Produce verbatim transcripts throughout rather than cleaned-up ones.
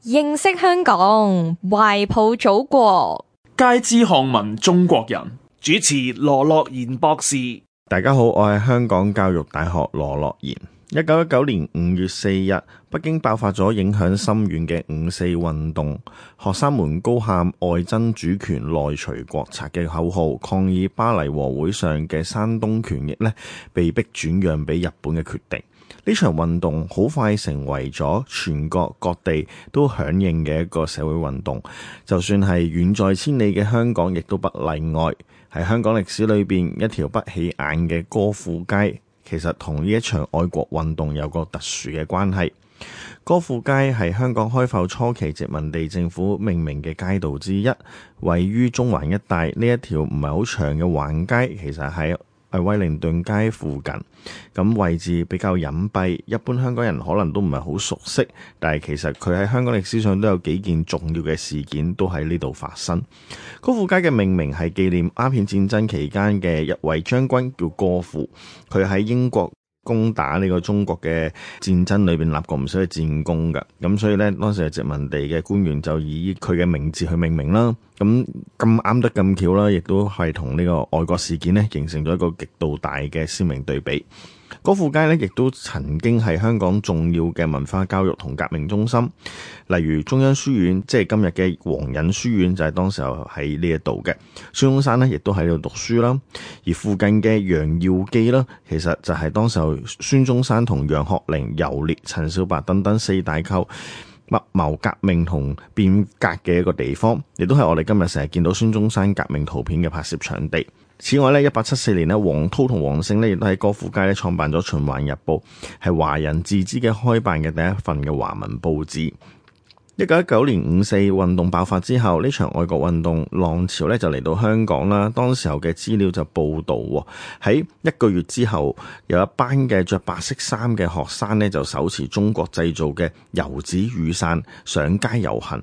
認識香港，懷抱祖國，皆知漢文中國人。主持羅樂賢博士。大家好，我係香港教育大學羅樂賢。一九一九年五月四日，北京爆發咗影響深遠嘅五四運動，學生們高喊外爭主權、內除國賊嘅口號，抗議巴黎和會上嘅山東權益呢被迫轉讓俾日本嘅決定。呢場運動好快成為咗全國各地都響應嘅一個社會運動，就算係遠在千里嘅香港，亦都不例外。喺香港歷史裏邊，一條不起眼嘅歌賦街，其實同呢一場愛國運動有個特殊嘅關係。歌賦街係香港開埠初期殖民地政府命名嘅街道之一，位於中環一帶。呢一條唔係好長嘅橫街，其實係喺威靈頓街附近，咁位置比較隱蔽，一般香港人可能都唔係好熟悉，但係其實佢喺香港歷史上都有幾件重要嘅事件都喺呢度發生。歌賦街嘅命名係紀念鴉片戰爭期間嘅一位將軍叫歌賦，佢喺英國攻打呢個中國嘅戰爭裏邊立過唔少嘅戰功㗎，咁所以呢，當時嘅殖民地嘅官員就以佢嘅名字去命名啦。咁咁啱得咁巧啦，亦都係同呢個愛國事件呢形成咗一個極度大嘅鮮明對比。歌賦街呢亦都曾經係香港重要嘅文化教育同革命中心，例如中央書院，即係今日嘅皇仁書院，就係當時候喺呢一度嘅。孫中山呢亦都喺度讀書啦，而附近嘅楊耀記啦，其實就係當時候孫中山同楊學齡、游烈、陳少白等等四大寇密謀革命同變革嘅一個地方，亦都係我哋今日成日見到孫中山革命圖片嘅拍攝場地。此外咧，一八七四年咧，黃濤同黃勝咧亦都喺歌賦街咧創辦咗《循環日報》，係華人自資嘅開辦嘅第一份嘅華文報紙。一九一九年五四運動爆發之後，呢場愛國運動浪潮咧就嚟到香港啦。當時候嘅資料就報道喎，喺一個月之後，有一班嘅着白色衫嘅學生咧就手持中國製造嘅油紙雨傘上街遊行，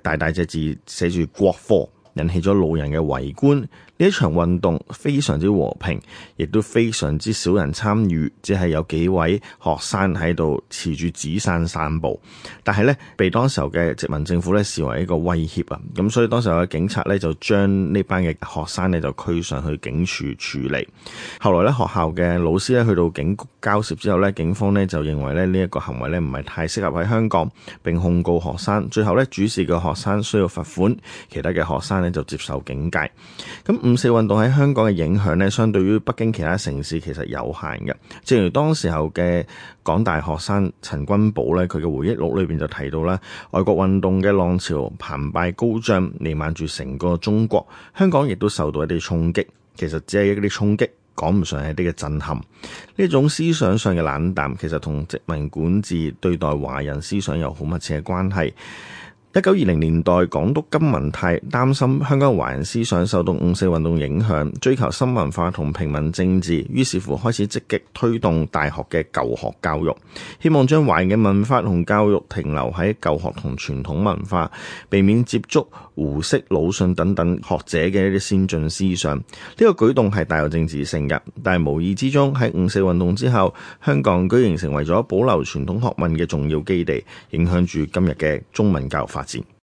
大大隻字寫住國貨，引起咗路人嘅圍觀。呢一場運動非常之和平，亦都非常之少人參與，只係有幾位學生喺度持住紙傘散步。但係呢，被當時候嘅殖民政府呢視為一個威脅啊！咁所以當時候嘅警察呢就將呢班嘅學生呢就拘上去警署處理。後來呢，學校嘅老師呢去到警局交涉之後呢，警方呢就認為呢呢一個行為呢唔係太適合喺香港，並控告學生。最後呢，主事嘅學生需要罰款，其他嘅學生呢就接受警戒。咁五四運動喺香港嘅影響呢，相對於北京其他城市其實有限嘅。正如當時候嘅港大學生陳君寶呢，佢嘅回憶錄裏邊就提到啦，愛國運動嘅浪潮澎湃高漲，彌漫住成個中國。香港亦都受到一啲衝擊，其實只係一啲衝擊，講唔上係一啲嘅震撼。呢種思想上嘅冷淡，其實同殖民管治對待華人思想有好密切嘅關係。一九二零年代，港督金文泰擔心香港華人思想受到五四運動影響，追求新文化同平民政治，於是乎開始積極推動大學嘅舊學教育，希望將華人嘅文化同教育停留喺舊學同傳統文化，避免接觸胡適、魯迅等等學者嘅一啲先進思想。呢個舉動係帶有政治性嘅，但係無意之中喺五四運動之後，香港居然成為咗保留傳統學問嘅重要基地，影響住今日嘅中文教育發展。